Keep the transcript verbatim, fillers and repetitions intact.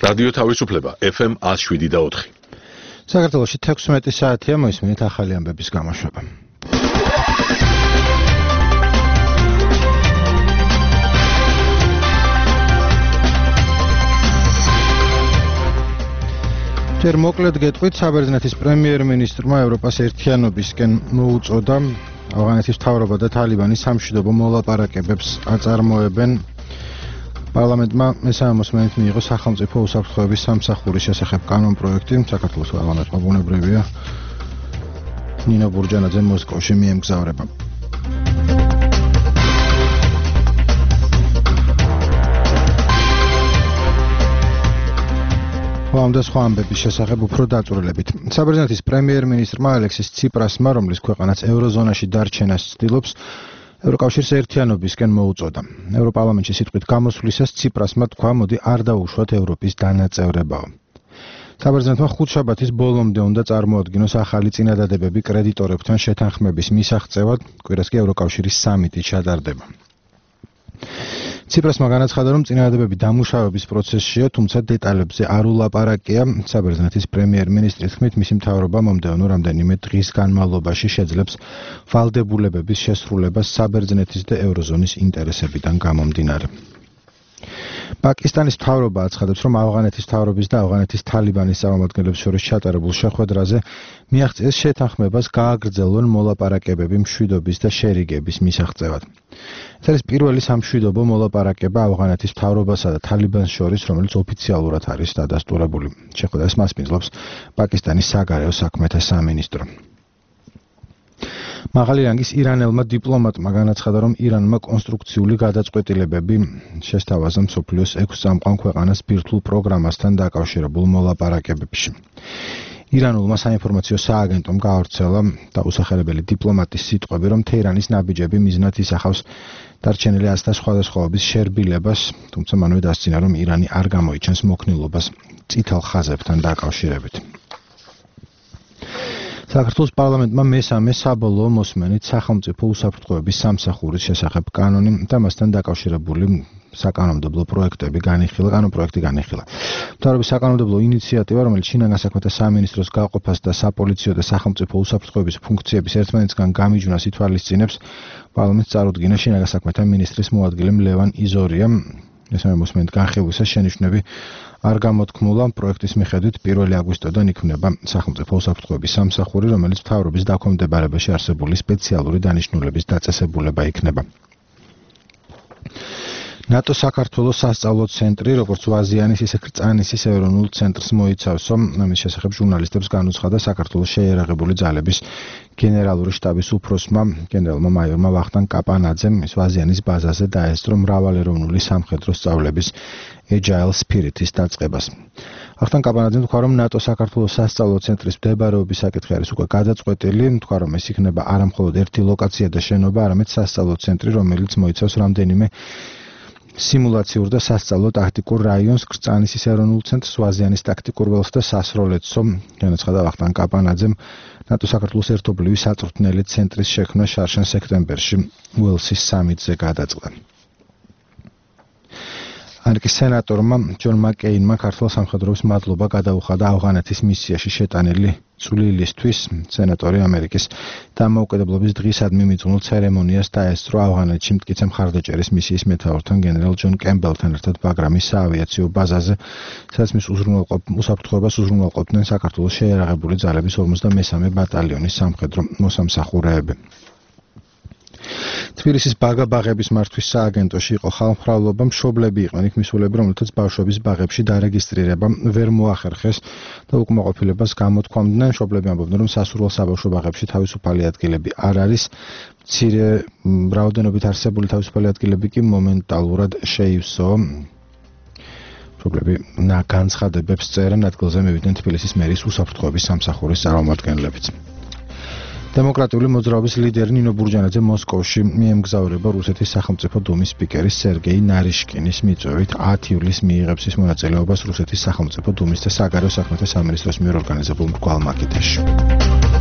რადიო თავისუფლება F M one oh seven და four. საქართველოში თექვსმეტი საათია, მოისმინეთ ახალი ამბების გამოშვება. ჯერ მოკლედ გეტყვით, საბერძნეთის პრემიერ-მინისტრმა ევროპას ერთიანობისკენ მოუწოდა ავღანეთის მთავრობა და თალიბანი სამშვიდობო მოლაპარაკებებს აწარმოებენ. პარლამენტმა მესამე მოსმენით მიიღო სახელმწიფო უსაფრთხოების სამსახურის შესახებ კანონპროექტი. საქართველოს პარლამენტმა ბუნებრივია ნინო ბურჯანაძე მოსკოვში მიემგზავრება. ამ და სხვა ამბების შესახებ უფრო დაწვრილებით. საბერძნეთის პრემიერ-მინისტრმა ალექსის ციპრასმა, რომლის ქვეყანაც ევროზონაში დარჩენას ცდილობს, ევროკავშირის ერთიანობისკენ მოუწოდა. ევროპარლამენტში სიტყვით გამოსვლისას ციპრასმა თქვა, მოდი არ დაუშვათ ევროპის დანაწევრებაო. საბერძნეთმა ხუთშაბათის ბოლომდე უნდა წარმოადგინოს ახალი წინადადებები კრედიტორებთან შეთანხმების მისაღწევად, კვირას კი ევროკავშირის სამიტი ჩატარდება. ციპრასმა განაცხადა, რომ წინადადებები დამუშავების პროცესშია, თუმცა დეტალებზე არ ულაპარაკია. საბერძნეთის პრემიერ-მინისტრის თქმით, მისი მთავრობა მომდევნო რამდენიმე დღის განმავლობაში შეძლებს ვალდებულებების შესრულებას საბერძნეთის და ევროზონის ინტერესებიდან გამომდინარე. პაკისტანის მთავრობა აცხადებს, რომ ავღანეთის მთავრობის და ავღანეთის თალიბანის წარმომადგენლებს შორის ჩატარებულ შეხვედრაზე მიაღწიეს შეთანხმებას გააგრძელონ მოლაპარაკებები მშვიდობის და შერიგების მისაღწევად. ეს არის პირველი სამშვიდობო მოლაპარაკება ავღანეთის მთავრობასა და თალიბანს შორის, რომელიც ოფიციალურად არის დადასტურებული. შეხვედრას მასპინძლობს პაკისტანის საგარეო საქმეთა სამინისტრო. მაღალი რანგის ირანელმა დიპლომატმა განაცხადა, რომ ირანმა კონსტრუქციული გადაწყვეტილებები შესთავაზა მსოფლიოს ექვს წამყვან ქვეყანას ბირთვულ პროგრამასთან დაკავშირებულ მოლაპარაკებებში. ირანულმა საინფორმაციო სააგენტომ გაავრცელა დაუსახელებელი დიპლომატის სიტყვები, რომ თეირანის ნაბიჯები მიზნად ისახავს დარჩენილი აზთა სხვადასხვაობის შერბილებას, თუმცა მანვე დასძინა, რომ ირანი არ გამოიჩენს მოქნილობას წითელ ხაზებთან დაკავშირებით. საქართველოს პარლამენტმა მესამე საბოლოო მოსმენით სახელმწიფო უსაფრთხოების სამსახურის შესახებ კანონი და მასთან დაკავშირებული საკანონმდებლო პროექტები განიხილა, კანონპროექტი განიხილა. მთავრობის საკანონმდებლო ინიციატივა, რომელიც შინაგან საქმეთა სამინისტროს გაყოფას და საპოლიციო და სახელმწიფო უსაფრთხოების ფუნქციების ერთმანეთისგან გამიჯვნას ითვალისწინებს, პარლამენტს წარუდგინა შინაგან საქმეთა მინისტრის მოადგილე ლევან იზორია. მესამე მოსმენით განხილვისას შენიშვნები არ გამოთქმულა. პროექტის მიხედვით პირველი აგვისტოდან იქმნება სახელმწიფო უსაფრთხოების სამსახური, რომელიც მთავრობის დაქვემდებარებაში არსებული სპეციალური დანიშნულების დაწესებულება იქნება. ნატო საქართველოს სასწავლო ცენტრი, როგორც ვაზიანის, ისე კრწანისის ეროვნულ ცენტრს მოიცავსო. ამის შესახებ ჟურნალისტებს განუცხადა საქართველოს შეიარაღებული ძალების გენერალური შტაბის უფროსმა, გენერალმა მაიორმა ვახტანგ კაპანაძემ, ის ვაზიანის ბაზაზე დაესწრო მრავალეროვნული სამხედრო სწავლების Agile Spirit-ის დაწყებას. ვახტანგ კაპანაძემ თქვა, რომ ნატო საქართველოს სასწავლო ცენტრის მდებარეობის საკითხი არის უკვე გადაწყვეტილი, თქვა, რომ ეს იქნება არა მხოლოდ ერთი ლოკაცია და შენობა, არამედ სასწავლო ცენტრი, რომელიც მოიცავს რამდენიმე სიმულაციურ და სასწავლო ტაქტიკურ რაიონს, კრწანისის ეროვნულ ცენტრს, ვაზიანის ტაქტიკურ ველს და სასროლეთსო. განაცხადა ვახტანგ კაპანაძემ, ნატო საქართველოს ერთობლივი საწვრთნელი ცენტრის შექმნა შარშან სექტემბერში უელსის სამიტზე გადაწყდა. ამერიკის სენატორმა ჯონ მაკეინმა ქართულ სამხედროებს მადლობა გადაუხადა ავღანეთის მისიაში შეტანილი წვლილისთვის. სენატორი ამერიკის დამოუკიდებლობის დღისადმი მიძღვნილ ცერემონიას დაესწრო ავღანეთში მტკიცე მხარდაჭერის მისიის მეთაურთან გენერალ ჯონ კემბელთან ერთად ბაგრამის საავიაციო ბაზაზე, სადაც მის უსაფრთხოებას უზრუნველყოფდნენ საქართველოს შეიარაღებული ძალების ორმოცდამესამე ბატალიონის სამხედრო მოსამსახურეები. თბილისის ბაგა-ბაღების მართვის სააგენტოში იყო ხალხმრავლობა, მშობლები იყვნენ იქ მისულები, რომელთაც ბავშვების ბაღებში დარეგისტრირება ვერ მოახერხეს და უკმაყოფილებას გამოთქვამდნენ. მშობლები ამბობდნენ, რომ სასურველ საბავშვო ბაღებში თავისუფალი ადგილები არ არის, მცირე რაოდენობით არსებული თავისუფალი ადგილები კი მომენტალურად შეივსო. მშობლები განცხადებებს წერენ, ადგილზე მივიდნენ თბილისის მერის უსაფრთხოების სამსახურის წარმომადგენლებიც. დემოკრატიული მოძრაობის ლიდერი ნინო ბურჯანაძე მოსკოვში მიემგზავრება რუსეთის სახელმწიფო დუმის სპიკერის სერგეი ნარიშკინის მიწვევით ათი ივლისს მიიღებს ის მონაწილეობას რუსეთის სახელმწიფო დუმის და საგარეო საქმეთა სამინისტროს მიერ ორგანიზებულ მრგვალ მაკეტაში.